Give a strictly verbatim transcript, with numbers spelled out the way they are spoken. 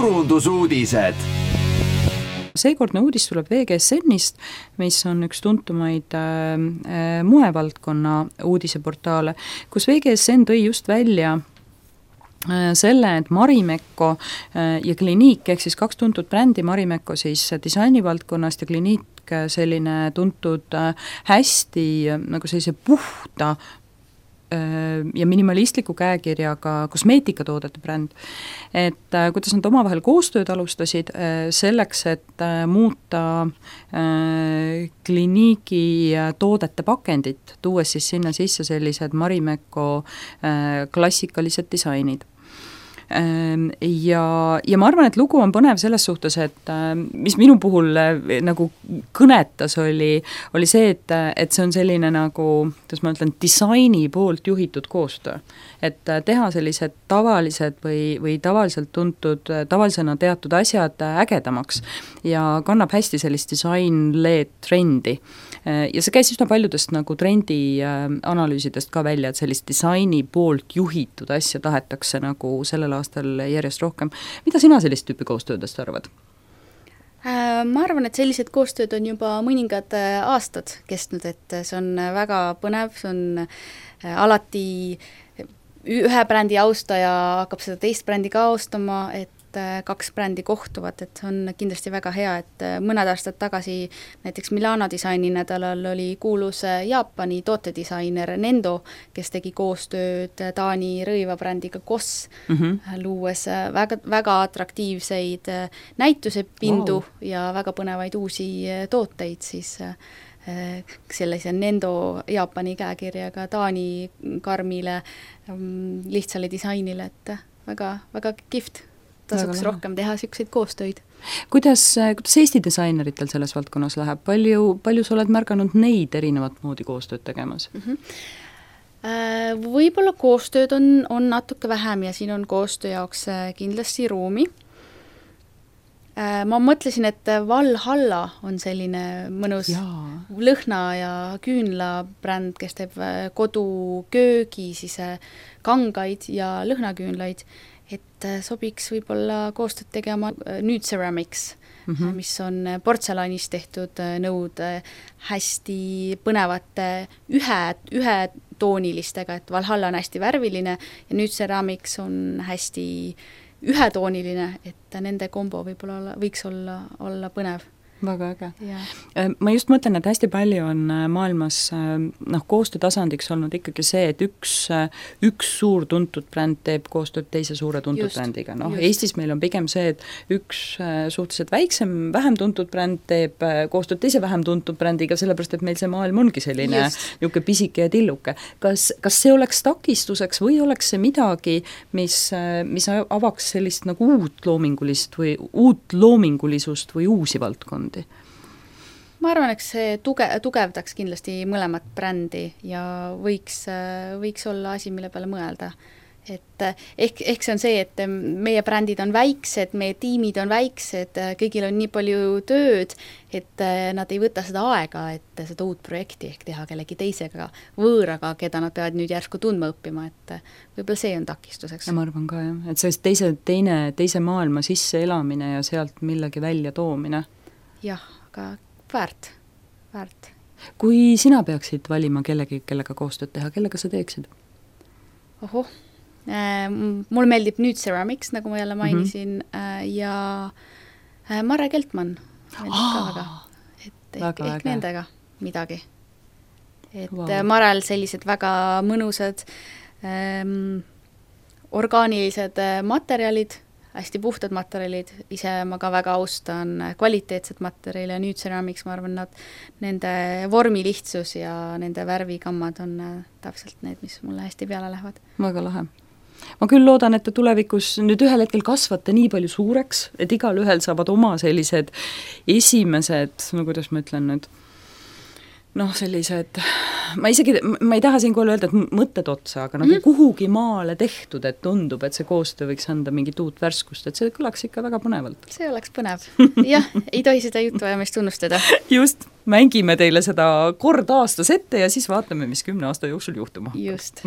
turundusuudised. Seekordne uudis tuleb V G S N-ist, mis on üks tuntumaid äh, moevaldkonna uudiseportaale, kus V G S N tõi just välja äh, selle, et Marimekko äh, ja Clinique, ehk siis kaks tuntud brändi, Marimekko siis disainivaldkonnast ja Clinique selline tuntud äh, hästi äh, nagu sellise puhta ja minimalistliku käekirjaga kosmeetikatoodete bränd, et äh, kuidas nad omavahel koostööd alustasid äh, selleks, et äh, muuta äh, Clinique'i toodete pakendit, tuues siis sinna sisse sellised Marimekko äh, klassikalised disainid. Ja, ja ma arvan, et lugu on põnev selles suhtes, et mis minu puhul nagu kõnetas oli, oli see, et, et see on selline nagu, kuidas ma ütlen, disaini poolt juhitud koostöö. Et teha sellised tavalised või, või tavaliselt tuntud, tavalisena teatud asjad ägedamaks ja kannab hästi sellist disain-led trendi. Ja see käis üsna paljudest nagu trendi analüüsidest ka välja, et sellist disaini poolt juhitud asja tahetakse nagu sellel aastal järjest rohkem. Mida sina sellist tüüpi koostöödest arvad? Ma arvan, et sellised koostööd on juba mõningad aastad kestnud, et see on väga põnev, see on alati ühe brändi austaja hakkab seda teist brändi ka austama, et kaks brändi kohtuvad, et on kindlasti väga hea, et mõned aastad tagasi näiteks Milano disaini nädalal oli kuulus Jaapani tootedisainer Nendo, kes tegi koostööd Taani rõivabrändiga Koss, mm-hmm. luues väga, väga atraktiivseid näitusepindu wow. ja väga põnevaid uusi tooteid siis sellise Nendo Jaapani käekirjaga Taani karmile lihtsale disainile, et väga, väga kihvt. Tasuks rohkem teha siukseid koostöid. Kuidas, kuidas Eesti disaineritel selles valdkonnas läheb? Palju, palju sa oled märganud neid erinevat moodi koostööd tegemas? Mm-hmm. Võib-olla koostööd on, on natuke vähem ja siin on koostöö jaoks kindlasti ruumi. Ma mõtlesin, et Valhalla on selline mõnus Jaa. lõhna ja küünla bränd, kes teeb koduköögi, siis kangaid ja lõhnaküünlaid, et sobiks võib-olla koostööd tegema Nude Ceramics, mm-hmm. mis on portselanist tehtud nõud hästi põnevate ühe, ühe toonilistega, et Valhalla on hästi värviline ja Nude Ceramics on hästi ühetooniline, et nende kombo võib-olla võiks olla, olla põnev. Väga äge. Ma just mõtlen, et hästi palju on maailmas noh, koostöötasandiks olnud ikkagi see, et üks, üks suur tuntud bränd teeb koostööd teise suure tuntud just, brändiga. No, Eestis meil on pigem see, et üks suhteliselt väiksem, vähem tuntud bränd teeb koostööd teise vähem tuntud brändiga, sellepärast, et meil see maailm ongi selline niisugune pisike ja tilluke. Kas, kas see oleks takistuseks või oleks see midagi, mis, mis avaks sellist nagu uut loomingulist või uut loomingulisust või uusi valdkondi? Ma arvan, eks see tuge, tugevdaks kindlasti mõlemat brändi ja võiks, võiks olla asi, mille peale mõelda. Et ehk, ehk see on see, et meie brändid on väiksed, meie tiimid on väiksed, kõigil on nii palju tööd, et nad ei võta seda aega, et seda uut projekti ehk teha kellegi teisega võõraga, keda nad peavad nüüd järsku tundma õppima, et võib-olla see on takistuseks. Ja ma arvan ka, jah, et see teise, teine, teise maailma sisse elamine ja sealt millegi välja toomine. Jah, aga väärt, väärt. Kui sina peaksid valima kellegi, kellega koostööd teha, kellega sa teeksid? Ohoh, äh, mul meeldib Nude Ceramics, nagu ma jälle mainisin, mm-hmm. äh, ja äh, Marre Keltmann meeldib oh, ka väga. Et ehk, ehk nendega midagi. Et wow. Marel sellised väga mõnusad ähm, orgaanilised materjalid, hästi puhtad materjalid, ise ma ka väga austan kvaliteetsed materjali ja Nude Ceramics, ma arvan, nad, nende vormilihtsus ja nende värvikammad on täpselt need, mis mulle hästi peale lähevad. Väga lahe. Ma küll loodan, et te tulevikus nüüd ühel hetkel kasvate nii palju suureks, et igal ühel saavad oma sellised esimesed, no kuidas ma ütlen nüüd, noh, sellised, ma isegi, ma ei taha siinkohal öelda, et mõtted otsa, aga nagu mm-hmm. kuhugi maale tehtud, et tundub, et see koostöö võiks anda mingit uut värskust, et see kõlaks ikka väga põnevalt. See oleks põnev. Jah, ei tohi seda juttu ajamist tunnustada. Just, mängime teile seda kord aastas ette ja siis vaatame, mis kümne aasta jooksul juhtuma. Just.